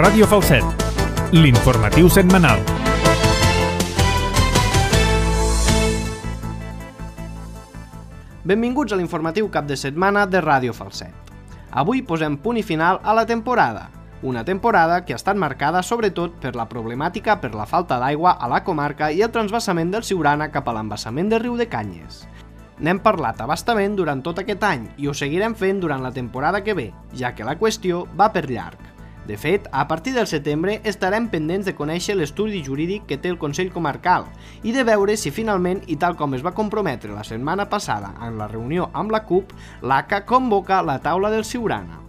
Ràdio Falset, l'informatiu setmanal. Benvinguts a l'informatiu cap de setmana de Ràdio Falset. Avui posem punt i final a la temporada. Una temporada que ha estat marcada sobretot per la problemàtica per la falta d'aigua a la comarca i el transvasament del Siurana cap a l'embassament del riu de Canyes. N'hem parlat a bastament durant tot aquest any i ho seguirem fent durant la temporada que ve, ja que la qüestió va per llarg. De fet, a partir del setembre estarem pendents de conèixer l'estudi jurídic que té el Consell Comarcal i de veure si finalment, i tal com es va comprometre la setmana passada en la reunió amb la CUP, l'ACA convoca la taula del Siurana.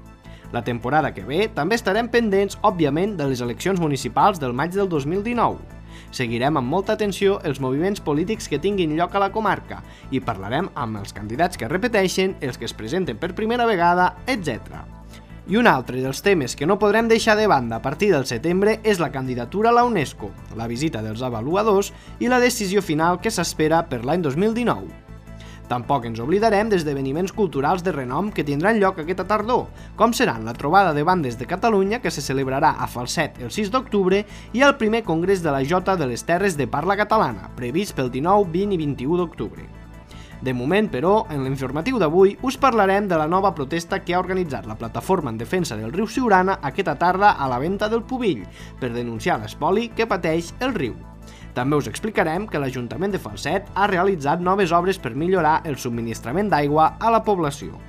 La temporada que ve també estarem pendents, òbviament, de les eleccions municipals del maig del 2019. Seguirem amb molta atenció els moviments polítics que tinguin lloc a la comarca i parlarem amb els candidats que repeteixen, els que es presenten per primera vegada, etc. I un altre dels temes que no podrem deixar de banda a partir del setembre és la candidatura a la UNESCO, la visita dels avaluadors i la decisió final que s'espera per l'any 2019. Tampoc ens oblidarem d'esdeveniments culturals de renom que tindran lloc aquesta tardor, com seran la trobada de bandes de Catalunya que se celebrarà a Falset el 6 d'octubre i el primer congrés de la Jota de les Terres de Parla Catalana, previst pel 19, 20 i 21 d'octubre. De moment, però, en l'informatiu d'avui us parlarem de la nova protesta que ha organitzat la Plataforma en Defensa del Riu Siurana aquesta tarda a la Venta del Pubill per denunciar l'espoli que pateix el riu. També us explicarem que l'Ajuntament de Falset ha realitzat noves obres per millorar el subministrament d'aigua a la població.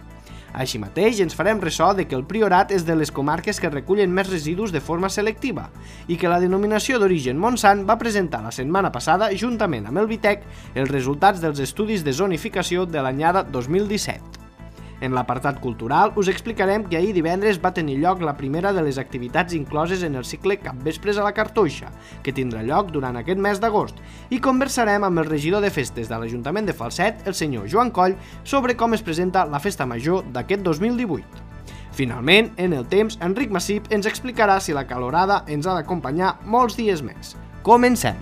Així mateix, ens farem ressò de que el Priorat és de les comarques que recullen més residus de forma selectiva i que la denominació d'origen Montsant va presentar la setmana passada, juntament amb el Vitec, els resultats dels estudis de zonificació de l'anyada 2017. En l'apartat cultural us explicarem que ahir divendres va tenir lloc la primera de les activitats incloses en el cicle Capvespres a la Cartoixa, que tindrà lloc durant aquest mes d'agost, i conversarem amb el regidor de festes de l'Ajuntament de Falset, el senyor Joan Coll, sobre com es presenta la festa major d'aquest 2018. Finalment, en el temps, Enric Massip ens explicarà si la calorada ens ha d'acompanyar molts dies més. Comencem!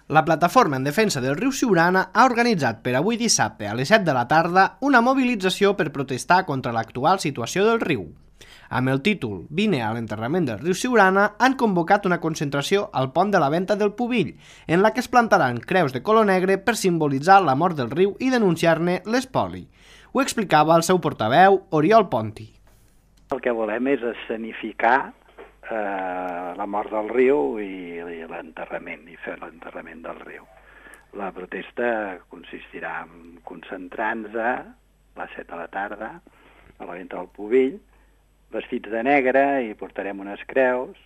La Plataforma en Defensa del Riu Siurana ha organitzat per avui dissabte a les 7 de la tarda una mobilització per protestar contra l'actual situació del riu. Amb el títol «Vine a l'enterrament del riu Siurana» han convocat una concentració al pont de la Venta del Pubill, en la que es plantaran creus de color negre per simbolitzar la mort del riu i denunciar-ne l'espoli. Ho explicava el seu portaveu, Oriol Ponti. El que volem és escenificar la mort del riu i l'enterrament, i fer l'enterrament del riu. La protesta consistirà en concentrar-nos a les 7 de la tarda a la Venta del Pubill, vestits de negre, i portarem unes creus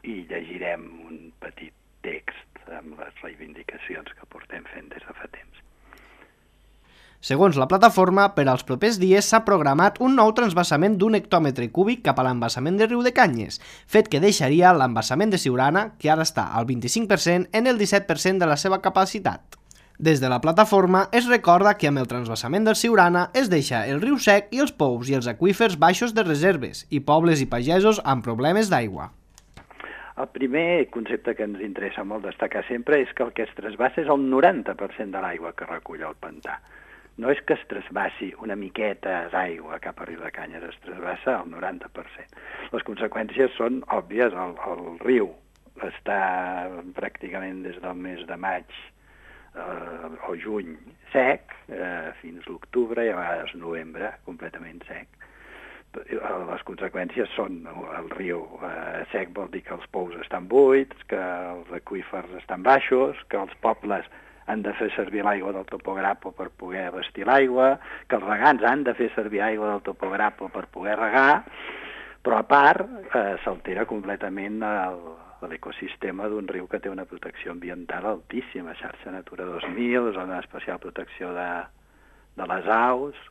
i llegirem un petit text amb les reivindicacions que portem fent des de fa temps. Segons la plataforma, per als propers dies s'ha programat un nou transvasament d'un hectòmetre cúbic cap a l'embassament del riu de Canyes, fet que deixaria l'embassament de Siurana, que ara està al 25%, en el 17% de la seva capacitat. Des de la plataforma es recorda que amb el transvasament del Siurana es deixa el riu sec i els pous i els aqüífers baixos de reserves i pobles i pagesos amb problemes d'aigua. El primer concepte que ens interessa molt destacar sempre és que el que es trasbassa és el 90% de l'aigua que recull el pantà. No és que es trasbassi una miqueta d'aigua cap a riu de Canyes, es trasbassa el 90%. Les conseqüències són òbvies. El riu està pràcticament des del mes de maig o juny sec, fins l'octubre i a vegades novembre completament sec. Les conseqüències són el riu sec vol dir que els pous estan buits, que els aqüífers estan baixos, que els pobles han de fer servir l'aigua del topograpo per poder abastir l'aigua, que els regants han de fer servir aigua del topograpo per poder regar, però a part s'altera completament l'ecosistema d'un riu que té una protecció ambiental altíssima, xarxa Natura 2000, zona d'especial protecció de les aus,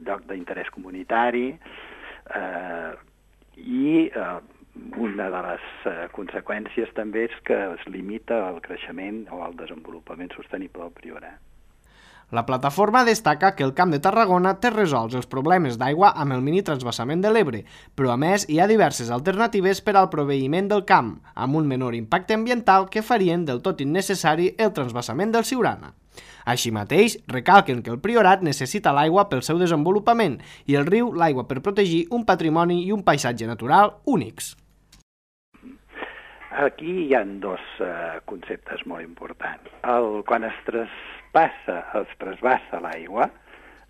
lloc d'interès comunitari, i una de les conseqüències també és que es limita el creixement o el desenvolupament sostenible del Priorat. La plataforma destaca que el Camp de Tarragona té resolts els problemes d'aigua amb el mini-transvasament de l'Ebre, però a més hi ha diverses alternatives per al proveïment del camp, amb un menor impacte ambiental que farien del tot innecessari el transvasament del Siurana. Així mateix, recalquen que el Priorat necessita l'aigua pel seu desenvolupament i el riu l'aigua per protegir un patrimoni i un paisatge natural únics. Aquí hi ha dos conceptes molt importants. Quan es trasbassa l'aigua,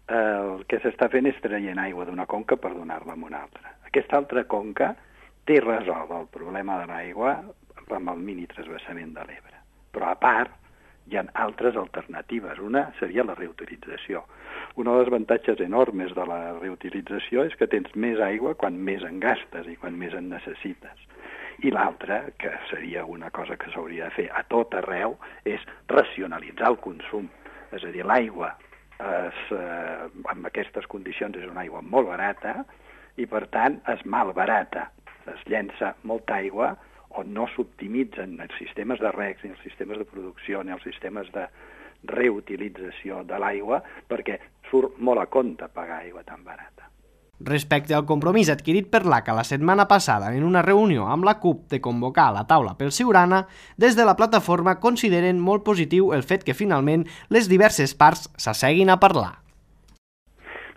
el que s'està fent és traient aigua d'una conca per donar-la a una altra. Aquesta altra conca té resolt el problema de l'aigua amb el mini-transvasament de l'Ebre. Però a part, hi ha altres alternatives. Una seria la reutilització. Un dels avantatges enormes de la reutilització és que tens més aigua quan més en gastes i quan més en necessites. I l'altra, que seria una cosa que s'hauria de fer a tot arreu, és racionalitzar el consum. És a dir, l'aigua amb aquestes condicions és una aigua molt barata i, per tant, es malbarata. Es llença molta aigua on no s'optimitzen els sistemes de regs, ni els sistemes de producció, ni els sistemes de reutilització de l'aigua, perquè surt molt a compte pagar aigua tan barata. Respecte al compromís adquirit per l'ACA la setmana passada en una reunió amb la CUP de convocar la taula pel Siurana, des de la plataforma consideren molt positiu el fet que finalment les diverses parts s'asseguin a parlar.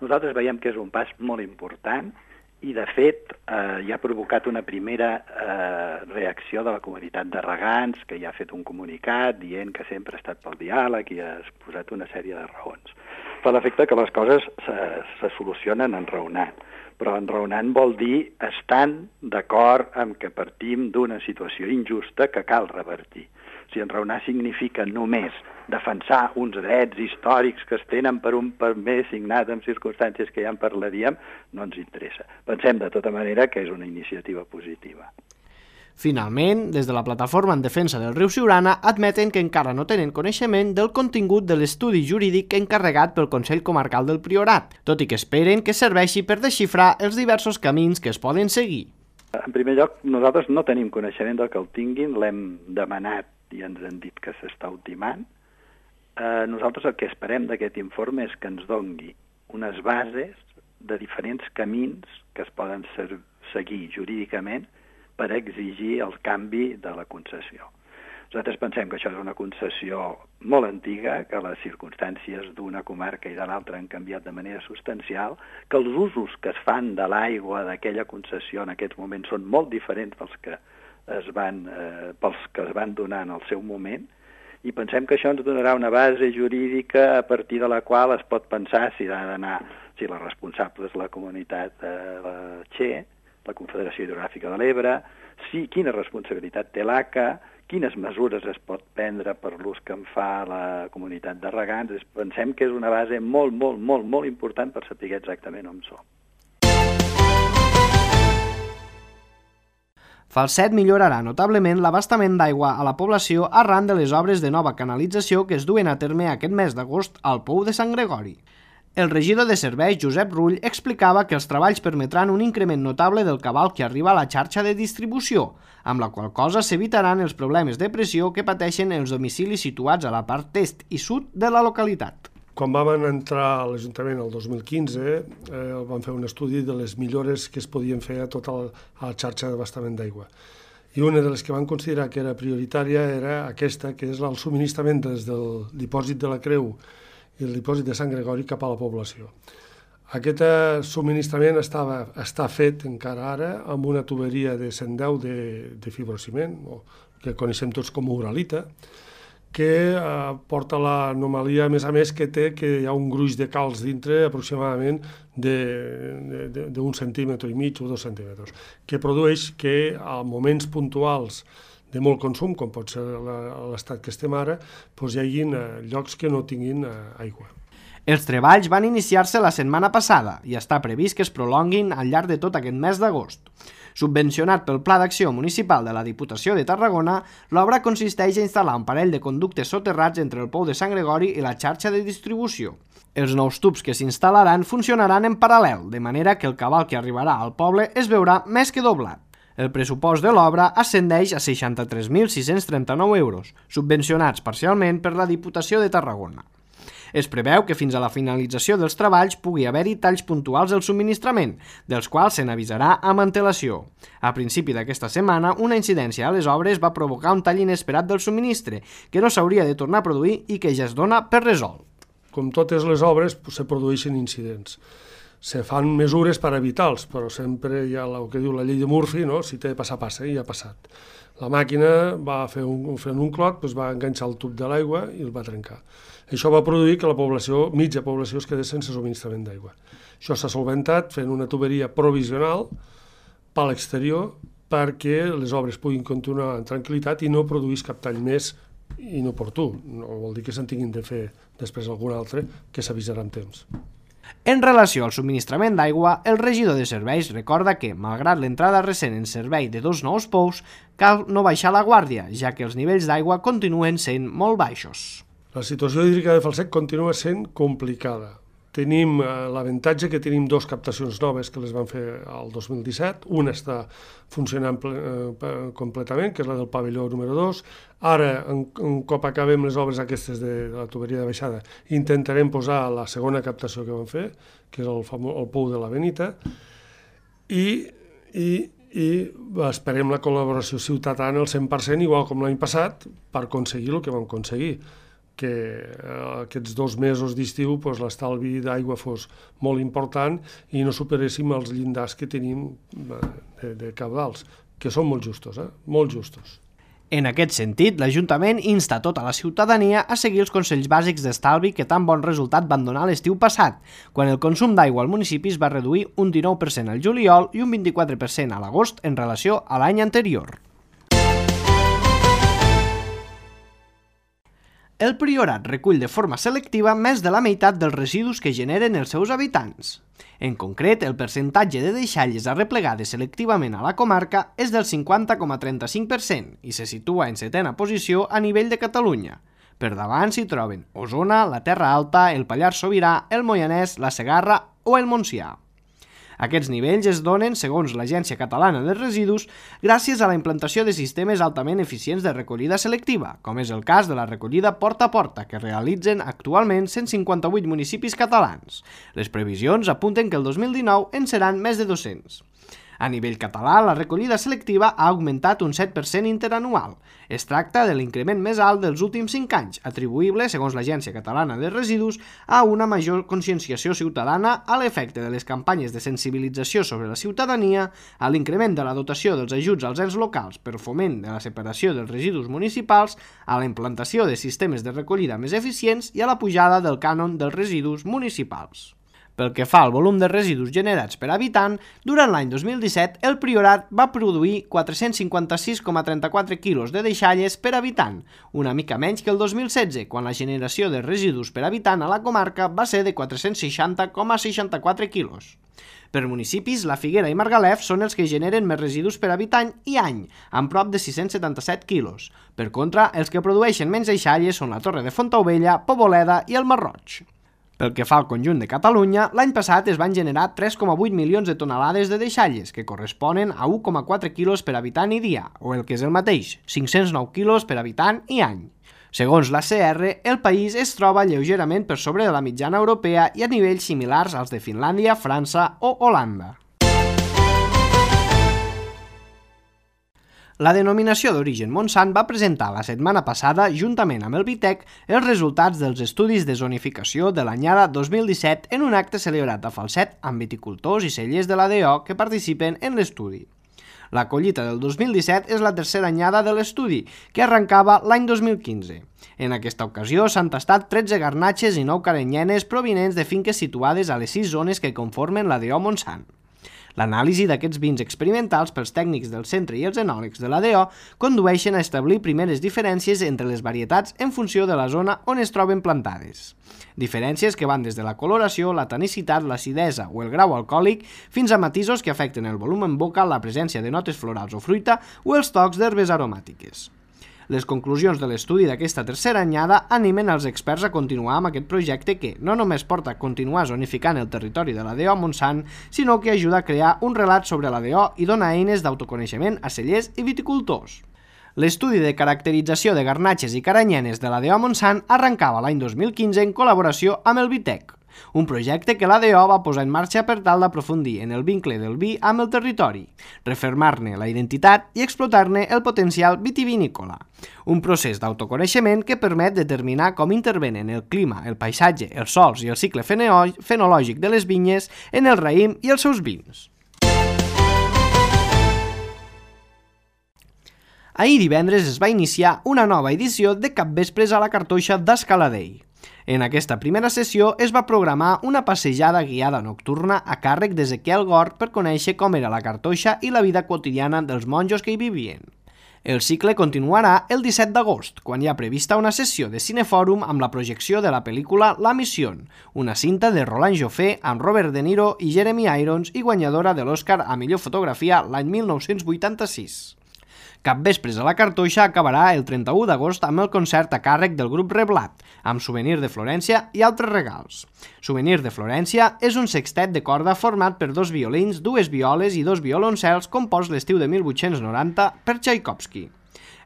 Nosaltres veiem que és un pas molt important i, de fet, ja ha provocat una primera reacció de la comunitat de regants, que ja ha fet un comunicat dient que sempre ha estat pel diàleg i ha exposat una sèrie de raons. Fa l'efecte que les coses se solucionen enraonant, però enraonant vol dir estant d'acord amb que partim d'una situació injusta que cal revertir. Si enraonar significa només defensar uns drets històrics que es tenen per un permès signat en circumstàncies que ja en parlaríem, no ens interessa. Pensem de tota manera que és una iniciativa positiva. Finalment, des de la plataforma en defensa del riu Siurana admeten que encara no tenen coneixement del contingut de l'estudi jurídic encarregat pel Consell Comarcal del Priorat, tot i que esperen que serveixi per desxifrar els diversos camins que es poden seguir. En primer lloc, nosaltres no tenim coneixement del que el tinguin, l'hem demanat i ens han dit que s'està ultimant. Nosaltres el que esperem d'aquest informe és que ens dongui unes bases de diferents camins que es poden seguir jurídicament per exigir el canvi de la concessió. Nosaltres pensem que això és una concessió molt antiga, que les circumstàncies d'una comarca i de l'altra han canviat de manera substancial, que els usos que es fan de l'aigua d'aquella concessió en aquests moments són molt diferents pels que es van donar en el seu moment, i pensem que això ens donarà una base jurídica a partir de la qual es pot pensar si la responsable és la comunitat de la Che, la Confederació Hidrogràfica de l'Ebre, quina responsabilitat té l'ACA, quines mesures es pot prendre per l'ús que en fa la comunitat de regants. Pensem que és una base molt, molt, molt, molt important per saber exactament on som. Falset millorarà notablement l'abastament d'aigua a la població arran de les obres de nova canalització que es duen a terme aquest mes d'agost al Pou de Sant Gregori. El regidor de serveis, Josep Rull, explicava que els treballs permetran un increment notable del cabal que arriba a la xarxa de distribució, amb la qual cosa s'evitaran els problemes de pressió que pateixen els domicilis situats a la part est i sud de la localitat. Quan vam entrar a l'Ajuntament el 2015, vam fer un estudi de les millores que es podien fer a tota la xarxa d'abastament d'aigua. I una de les que vam considerar que era prioritària era aquesta, que és el subministrament des del dipòsit de la Creu i el dipòsit de Sant Gregori cap a la població. Aquest subministrament està fet encara ara amb una tuberia de 110 de fibrociment, que coneixem tots com a uralita, que porta l'anomalia, a més, que té que hi ha un gruix de calç dintre aproximadament d'un centímetre i mig o 2 centímetres, que produeix que a moments puntuals de molt consum, com pot ser l'estat que estem ara, hi hagi llocs que no tinguin aigua. Els treballs van iniciar-se la setmana passada i està previst que es prolonguin al llarg de tot aquest mes d'agost. Subvencionat pel Pla d'Acció Municipal de la Diputació de Tarragona, l'obra consisteix a instal·lar un parell de conductes soterrats entre el Pou de Sant Gregori i la xarxa de distribució. Els nous tubs que s'instal·laran funcionaran en paral·lel, de manera que el cabal que arribarà al poble es veurà més que doblat. El pressupost de l'obra ascendeix a 63.639 euros, subvencionats parcialment per la Diputació de Tarragona. Es preveu que fins a la finalització dels treballs pugui haver-hi talls puntuals del subministrament, dels quals se n'avisarà amb antelació. A principi d'aquesta setmana, una incidència a les obres va provocar un tall inesperat del subministre, que no s'hauria de tornar a produir i que ja es dona per resolt. Com totes les obres, se produeixen incidents. Se fan mesures per evitar-los, però sempre hi ha el que diu la llei de Murphy, no? Si té de passar, passa, i ja ha passat. La màquina va fer un clot, doncs va enganxar el tub de l'aigua i el va trencar. Això va produir que la població, mitja població, es quedés sense subministrament d'aigua. Això s'ha solventat fent una tuberia provisional per l'exterior perquè les obres puguin continuar en tranquil·litat i no produís cap tall més inoportú. No vol dir que se'n tinguin de fer després algun altre, que s'avisarà amb temps. En relació al subministrament d'aigua, el regidor de serveis recorda que, malgrat l'entrada recent en servei de 2 nous pous, cal no baixar la guàrdia, ja que els nivells d'aigua continuen sent molt baixos. La situació hídrica de Falset continua sent complicada. Tenim l'avantatge que tenim 2 captacions noves que les van fer el 2017. Una està funcionant completament, que és la del pavelló número 2. Ara, un cop acabem les obres aquestes de la tuberia de baixada, intentarem posar la segona captació que vam fer, que és el pou de la Benita, i esperem la col·laboració ciutadana al 100%, igual com l'any passat, per aconseguir el que vam aconseguir, que aquests 2 mesos d'estiu l'estalvi d'aigua fos molt important i no superéssim els llindars que tenim de cabdals, que són molt justos, molt justos. En aquest sentit, l'Ajuntament insta tota la ciutadania a seguir els consells bàsics d'estalvi que tan bon resultat van donar l'estiu passat, quan el consum d'aigua al municipi es va reduir un 19% al juliol i un 24% a l'agost en relació a l'any anterior. El Priorat recull de forma selectiva més de la meitat dels residus que generen els seus habitants. En concret, el percentatge de deixalles arreplegades selectivament a la comarca és del 50,35% i se situa en 7a posició a nivell de Catalunya. Per davant s'hi troben Osona, la Terra Alta, el Pallars Sobirà, el Moianès, la Segarra o el Montsià. Aquests nivells es donen, segons l'Agència Catalana de Residus, gràcies a la implantació de sistemes altament eficients de recollida selectiva, com és el cas de la recollida porta a porta, que realitzen actualment 158 municipis catalans. Les previsions apunten que el 2019 en seran més de 200. A nivell català, la recollida selectiva ha augmentat un 7% interanual. Es tracta de l'increment més alt dels últims 5 anys, atribuïble, segons l'Agència Catalana de Residus, a una major conscienciació ciutadana, a l'efecte de les campanyes de sensibilització sobre la ciutadania, a l'increment de la dotació dels ajuts als ens locals per foment de la separació dels residus municipals, a la implantació de sistemes de recollida més eficients i a la pujada del cànon dels residus municipals. Pel que fa al volum de residus generats per habitant, durant l'any 2017 el Priorat va produir 456,34 quilos de deixalles per habitant, una mica menys que el 2016, quan la generació de residus per habitant a la comarca va ser de 460,64 quilos. Per municipis, la Figuera i Margalef són els que generen més residus per habitant i any, amb prop de 677 quilos. Per contra, els que produeixen menys deixalles són la Torre de Fontaubella, Poboleda i el Masroig. Pel que fa al conjunt de Catalunya, l'any passat es van generar 3,8 milions de tonelades de deixalles, que corresponen a 1,4 quilos per habitant i dia, o el que és el mateix, 509 quilos per habitant i any. Segons la CR, el país es troba lleugerament per sobre de la mitjana europea i a nivells similars als de Finlàndia, França o Holanda. La denominació d'origen Montsant va presentar la setmana passada, juntament amb el Vitec, els resultats dels estudis de zonificació de l'anyada 2017 en un acte celebrat a Falset amb viticultors i cellers de l'ADO que participen en l'estudi. La collita del 2017 és la tercera anyada de l'estudi, que arrencava l'any 2015. En aquesta ocasió s'han tastat 13 garnatxes i 9 carenyenes provinents de finques situades a les 6 zones que conformen l'ADO Montsant. L'anàlisi d'aquests vins experimentals pels tècnics del centre i els enòlegs de l'ADO condueixen a establir primeres diferències entre les varietats en funció de la zona on es troben plantades. Diferències que van des de la coloració, la tanicitat, l'acidesa o el grau alcohòlic fins a matisos que afecten el volum en boca, la presència de notes florals o fruita o els tocs d'herbes aromàtiques. Les conclusions de l'estudi d'aquesta tercera anyada animen els experts a continuar amb aquest projecte que no només porta a continuar zonificant el territori de l'ADO Montsant, sinó que ajuda a crear un relat sobre l'ADO i dona eines d'autoconeixement a cellers i viticultors. L'estudi de caracterització de garnatxes i caranyenes de la DO Montsant arrencava l'any 2015 en col·laboració amb el Vitec, un projecte que la DO va posar en marxa per tal d'aprofundir en el vincle del vi amb el territori, refermar-ne la identitat i explotar-ne el potencial vitivinícola. Un procés d'autoconeixement que permet determinar com intervenen el clima, el paisatge, els sòls i el cicle fenològic de les vinyes en el raïm i els seus vins. Ahir divendres es va iniciar una nova edició de Capvespres a la Cartoixa d'Escaladei. En aquesta primera sessió es va programar una passejada guiada nocturna a càrrec d'Ezequiel Gort per conèixer com era la Cartoixa i la vida quotidiana dels monjos que hi vivien. El cicle continuarà el 17 d'agost, quan hi ha prevista una sessió de cinefòrum amb la projecció de la pel·lícula La Mission, una cinta de Roland Joffé amb Robert De Niro i Jeremy Irons i guanyadora de l'Oscar a millor fotografia l'any 1986. Capvespres a la Cartoixa acabarà el 31 d'agost amb el concert a càrrec del grup Reblat, amb Souvenir de Florència i altres regals. Souvenir de Florència és un sextet de corda format per 2 violins, 2 violes i 2 violoncels compost l'estiu de 1890 per Tchaikovsky.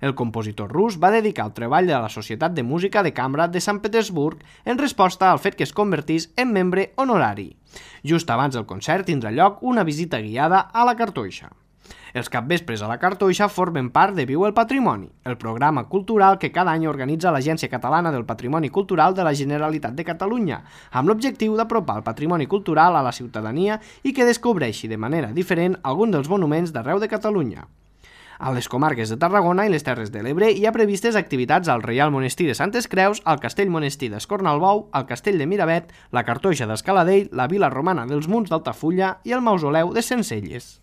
El compositor rus va dedicar el treball de la Societat de Música de Cambra de Sant Petersburg en resposta al fet que es convertís en membre honorari. Just abans del concert tindrà lloc una visita guiada a la Cartoixa. Els capvespres a la Cartoixa formen part de Viu el Patrimoni, el programa cultural que cada any organitza l'Agència Catalana del Patrimoni Cultural de la Generalitat de Catalunya, amb l'objectiu d'apropar el patrimoni cultural a la ciutadania i que descobreixi de manera diferent algun dels monuments d'arreu de Catalunya. A les comarques de Tarragona i les Terres de l'Ebre hi ha previstes activitats al Reial Monestir de Santes Creus, al Castell Monestir d'Escornalbou, al Castell de Miravet, la Cartoixa d'Escaladei, la Vila Romana dels Munts d'Altafulla i el Mausoleu de Sencelles.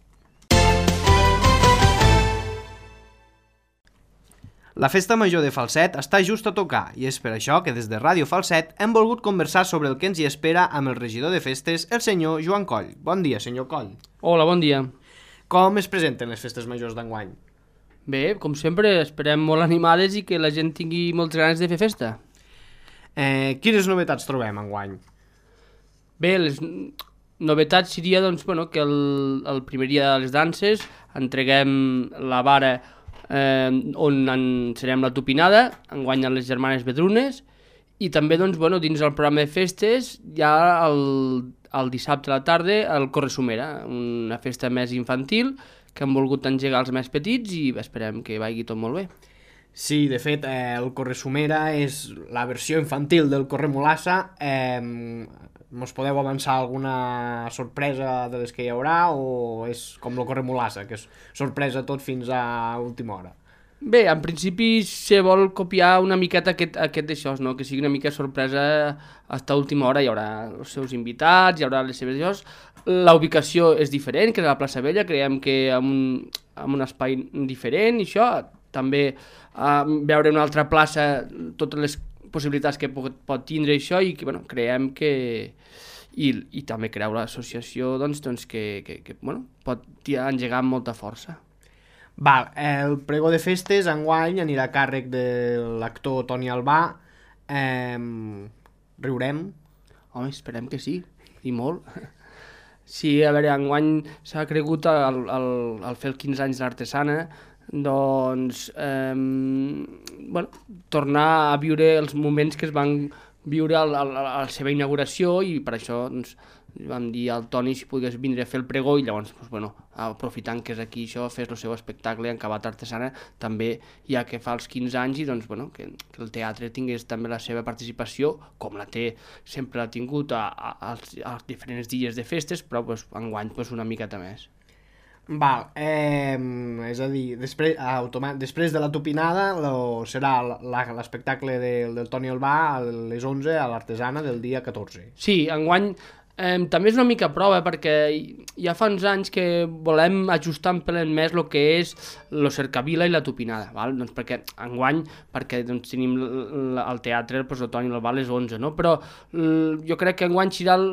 La Festa Major de Falset està just a tocar i és per això que des de Ràdio Falset hem volgut conversar sobre el que ens hi espera amb el regidor de festes, el senyor Joan Coll. Bon dia, senyor Coll. Hola, bon dia. Com es presenten les festes majors d'enguany? Bé, com sempre, esperem molt animades i que la gent tingui moltes ganes de fer festa. Quines novetats trobem enguany? Bé, les novetats seria doncs, que el primer dia de les danses entreguem la vara on serem la tupinada, enguany a les germanes Vedrunes, i també dins el programa de festes hi ha el dissabte a la tarda el Corresumera, una festa més infantil que hem volgut engegar els més petits i esperem que vagi tot molt bé. Sí, de fet, el Corresumera és la versió infantil del Corremolassa. Mos podeu avançar alguna sorpresa de les que hi haurà o és com el Corremolassa, que és sorpresa tot fins a última hora? Bé, en principi se vol copiar una miqueta aquest d'això, no? Que sigui una mica sorpresa fins a última hora. Hi haurà els seus invitats, hi haurà les seves llocs. La ubicació és diferent, que és a la plaça Vella, creiem que amb un espai diferent i això. També veure una altra plaça, totes les possibilitats que pot tindre això i que creiem que i també creu l'associació que pot engegar amb molta força. Val, el pregó de festes enguany anirà a càrrec de l'actor Toni Albà. Riurem? Home, esperem que sí, i molt. Sí, a veure, enguany s'ha cregut al fer els 15 anys d'Artesana tornar a viure els moments que es van viure a la seva inauguració i per això vam dir al Toni si pogués vindre a fer el pregó i llavors, aprofitant que és aquí això, fes el seu espectacle en Acabat Artesana, també ja que fa els 15 anys i que el teatre tingués també la seva participació, com sempre l'ha tingut als diferents dies de festes, però enguany una miqueta més. Val, és a dir, després de la tupinada serà l'espectacle del Toni Albà a les 11 a l'Artesana del dia 14. Sí, enguany també és una mica prova perquè ja fa uns anys que volem ajustar un pel més el que és el cercavila i la tupinada, val? Perquè enguany tenim al teatre el Toni Albà a les 11, no? Però jo crec que enguany serà el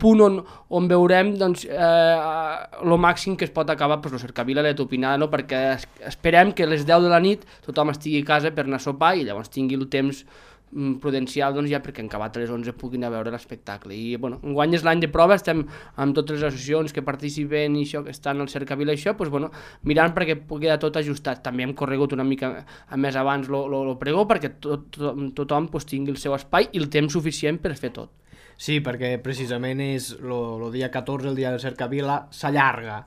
punt on veurem el màxim que es pot acabar el cercavila i la tupinada, no? Perquè esperem que a les 10 de la nit tothom estigui a casa per anar a sopar i llavors tingui el temps prudencial, doncs ja perquè en acabat a les 11 puguin anar a veure l'espectacle. I bueno, enguany és l'any de prova, estem amb totes les associacions que participen i això, que estan al Cercavila i això, doncs bueno, mirant perquè pugui quedar tot ajustat. També hem corregut una mica més abans lo pregó perquè tothom pues, tingui el seu espai i el temps suficient per fer tot. Sí, perquè precisament és el dia 14, el dia del Cercavila, s'allarga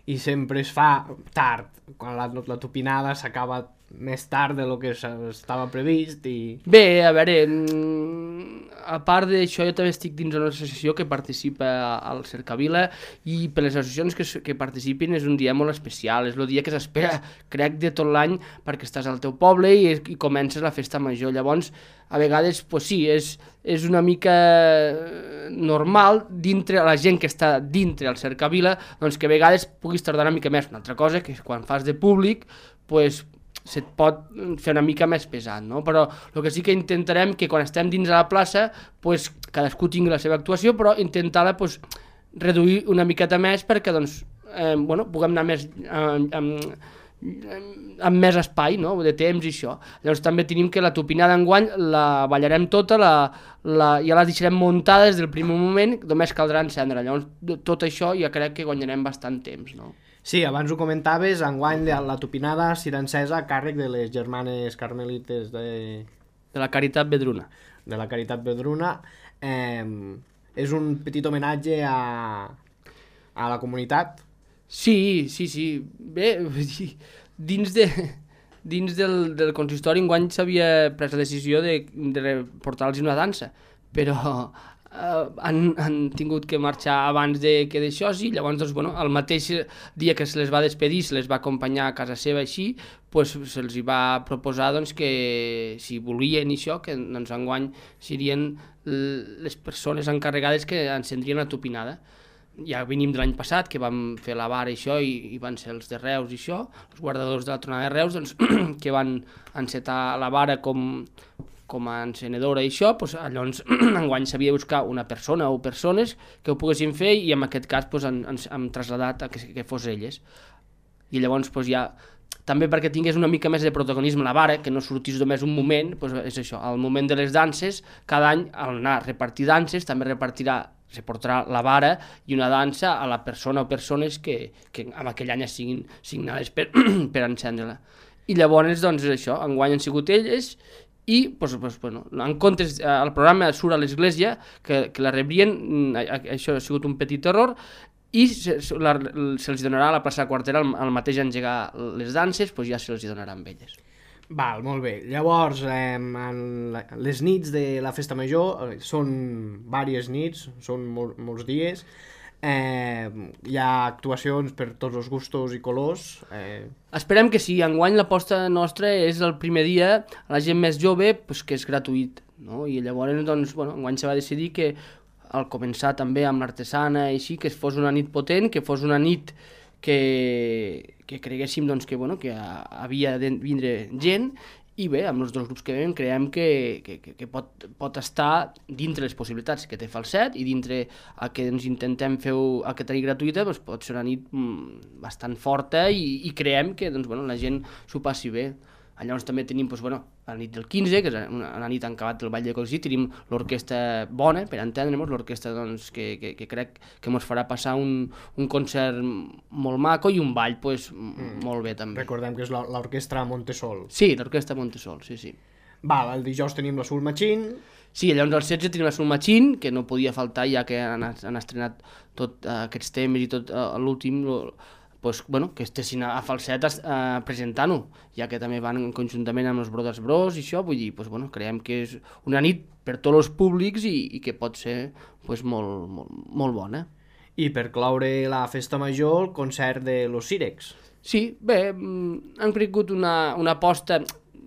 i sempre es fa tard, quan la tupinada s'acaba més tard de lo que estava previst i... Bé, a veure, a part d'això jo també estic dins una associació que participa al Cercavila i per les associacions que participin és un dia molt especial, és el dia que s'espera, crec, de tot l'any perquè estàs al teu poble i comences la festa major. Llavors, a vegades, pues sí, és una mica normal dintre la gent que està dintre al Cercavila, doncs que a vegades puguis tardar una mica més. Una altra cosa que quan fas de públic, pues se't pot fer una mica més pesat, no? Però el que sí que intentarem que quan estem dins de la plaça pues, cadascú tingui la seva actuació, però intentar-la pues, reduir una miqueta més perquè doncs, bueno, puguem anar més amb més espai, no? De temps i això. Llavors també tenim que la tupinada enguany la ballarem tota, ja la deixarem muntada des del primer moment, només caldrà encendre. Llavors tot això ja crec que guanyarem bastant temps, no? Sí, abans ho comentaves, enguany la tupinada serà encesa a càrrec de les germanes carmelites de la Caritat Vedruna. De la Caritat Vedruna. És un petit homenatge a la comunitat. Sí. Bé, dins del consistori enguany s'havia pres la decisió de portar-los una dansa, però han tingut que marxar abans que d'això, sí. Llavors, doncs, bueno, el mateix dia que se les va despedir, se les va acompanyar a casa seva així, pues, se'ls va proposar doncs, que si volien això, que doncs, enguany serien les persones encarregades que encendrien la tupinada. Ja venim de l'any passat, que vam fer la vara i això, i van ser els de Reus i això, els guardadors de la tronada de Reus, doncs, que van encetar la vara com a encenedora i això, doncs, llavors enguany s'havia de buscar una persona o persones que ho poguessin fer i en aquest cas doncs, hem traslladat a que fos elles. I llavors doncs, ja, també perquè tingués una mica més de protagonisme la vara, que no sortís només un moment, doncs, és això, al moment de les danses, cada any al anar a repartir danses també reportarà la vara i una dansa a la persona o persones que en aquell any siguin signades per encendre-la. I llavors, doncs, això, enguany han sigut elles i, doncs, bueno, en comptes, el programa surt a l'església, que la rebrien, això ha sigut un petit error, i se'ls donarà a la plaça Quartera al mateix engegar les danses, doncs ja se'ls donarà amb elles. Val, molt bé. Llavors, les nits de la festa major són diverses nits, són molts dies. Hi ha actuacions per tots els gustos i colors. Esperem que sí. Enguany l'aposta nostra és el primer dia a la gent més jove, pues, que és gratuït, no? I llavors, doncs, bueno, enguany se va decidir que al començar també amb l'artesana i així, que fos una nit potent, que fos una nit que creguéssim doncs, que havia de vindre gent, i bé, amb els dos grups que veiem creiem que pot estar dintre les possibilitats que té Falset i dintre el que ens intentem fer que tenir gratuïta, doncs pot ser una nit bastant forta i creiem que doncs, la gent s'ho passi bé. Llavors també tenim la nit del 15, que és una nit en acabat del Ball de Coixí, tenim l'orquestra bona, per entendre'ns, l'orquestra doncs, que crec que ens farà passar un concert molt maco i un ball molt bé també. Recordem que és l'orquestra Montesol. Sí, l'orquestra Montesol, sí. Val, el dijous tenim la Soul Machine. Sí, llavors el 16 tenim la Soul Machine, que no podia faltar ja que han estrenat tots aquests temes i tot l'últim, que estessin a Falset presentant-ho, ja que també van conjuntament amb els Brothers Bros i això, vull dir, creiem que és una nit per tots els públics i que pot ser molt bona. I per cloure la festa major, el concert de Los Sirex. Sí, bé, han cregut una aposta,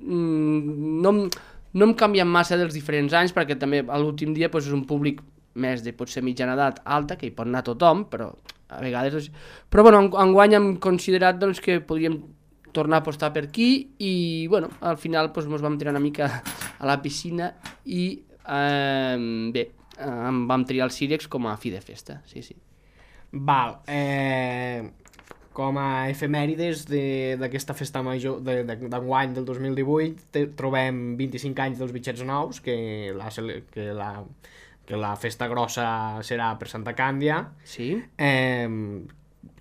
no hem canviat massa dels diferents anys, perquè també a l'últim dia és un públic més de potser mitjana edat alta, que hi pot anar tothom, però a vegades... Però enguany hem considerat que podríem tornar a apostar per aquí i al final ens vam tirar una mica a la piscina i bé, vam triar el Sirex com a fi de festa, sí. Val, com a efemèrides d'aquesta festa major d'enguany del 2018 trobem 25 anys dels Bitxets Nous, que la festa grossa serà per Santa Càndia, Sí?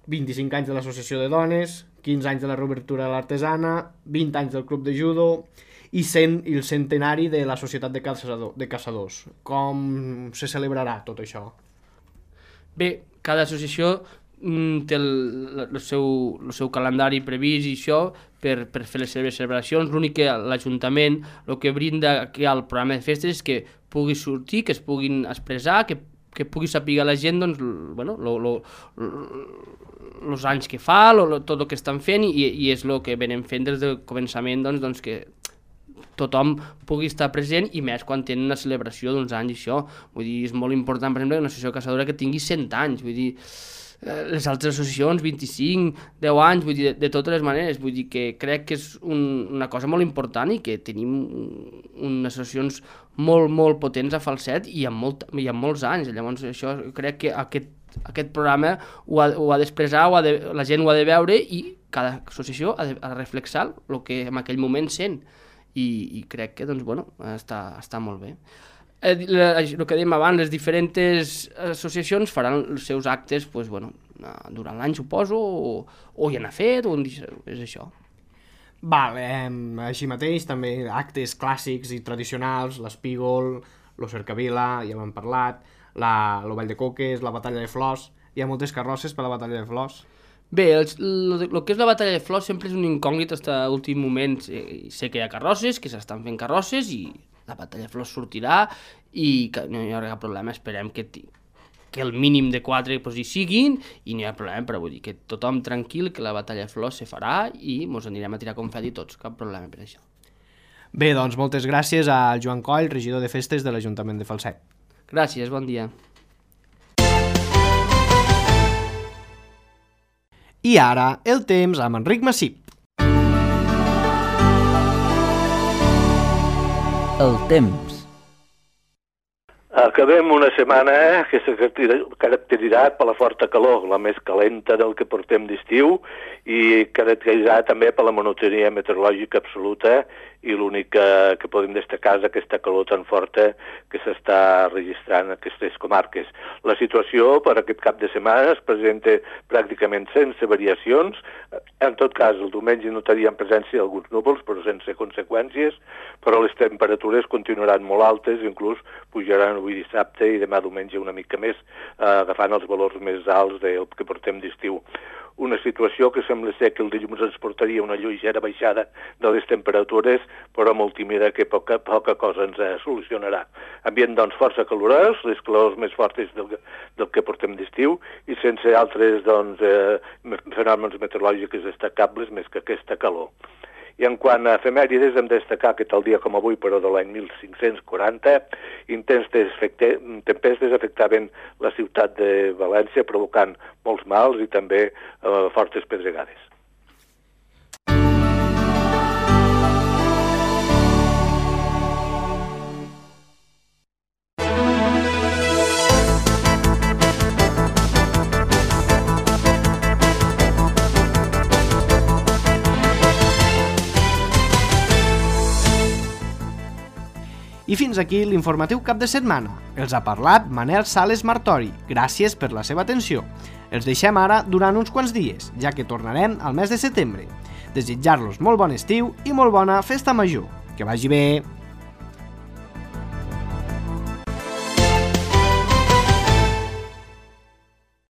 25 anys de l'Associació de Dones, 15 anys de la reobertura de l'Artesana, 20 anys del Club de Judo i el centenari de la Societat de Caçadors. Com se celebrarà tot això? Bé, cada associació té el seu calendari previst i això per fer les seves celebracions. L'únic que l'Ajuntament el que brinda aquí al programa de festes és que pugui sortir, que es puguin expressar, que pugui saber la gent doncs, bueno, els anys que fa, tot el que estan fent i és el que venim fent des del començament, doncs que tothom pugui estar present i més quan tenen una celebració d'uns anys i això. Vull dir, és molt important, per exemple, una associació caçadora que tingui 100 anys, vull dir, les altres associacions 25, 10 anys, vull dir, de totes les maneres, vull dir que crec que és una cosa molt important i que tenim unes associacions molt potents a Falset i amb molts anys. Llavors això crec que aquest programa ho ha d'expressar, la gent ho ha de veure i cada associació ha de reflexar el que en aquell moment sent. I crec que doncs, bueno, està molt bé. El que dèiem abans, les diferents associacions faran els seus actes doncs, bueno, durant l'any, suposo, o hi han fet, o és això. Així mateix, també actes clàssics i tradicionals, l'Espígol, l'Cercavila, ja hem parlat, el Ball de Coques, la Batalla de Flors. Hi ha moltes carrosses per la Batalla de Flors. Bé, el que és la Batalla de Flors sempre és un incògnit fins a l'últim moment. Sé que hi ha carrosses, que s'estan fent carrosses i la Batalla de Flors sortirà i que no hi haurà cap problema. Esperem que el mínim de 4 hi siguin i no hi ha problema, però vull dir que tothom tranquil, que la Batalla de Flors se farà i ens anirem a tirar confeti tots, cap problema per això. Bé, doncs moltes gràcies al Joan Coll, regidor de festes de l'Ajuntament de Falset. Gràcies, bon dia. I ara, el temps amb Enric Massip. El temps. Acabem una setmana que s'ha caracteritzat per la forta calor, la més calenta del que portem d'estiu, i caracteritzat també per la monotonia meteorològica absoluta, i l'únic que podem destacar és aquesta calor tan forta que s'està registrant en aquestes comarques. La situació per aquest cap de setmana es presenta pràcticament sense variacions. En tot cas, el diumenge notaríem presència d'alguns núvols, però sense conseqüències, però les temperatures continuaran molt altes, inclús pujaran avui dissabte i demà diumenge una mica més, agafant els valors més alts del que portem d'estiu. Una situació que sembla ser que el dilluns ens portaria una lleugera baixada de les temperatures, però molt tímida, que poca cosa ens solucionarà. Ambient, doncs, força calorós, les calors més fortes del que portem d'estiu, i sense altres, doncs, fenòmens meteorològics destacables més que aquesta calor. I en quant a efemèrides, hem de destacar que tal dia com avui, però de l'any 1540, intenses tempestes afectaven la ciutat de València, provocant molts mals i també fortes pedregades. I fins aquí l'informatiu cap de setmana. Els ha parlat Manel Sales Martori. Gràcies per la seva atenció. Els deixem ara durant uns quants dies, ja que tornarem al mes de setembre. Desitjar-los molt bon estiu i molt bona festa major. Que vagi bé!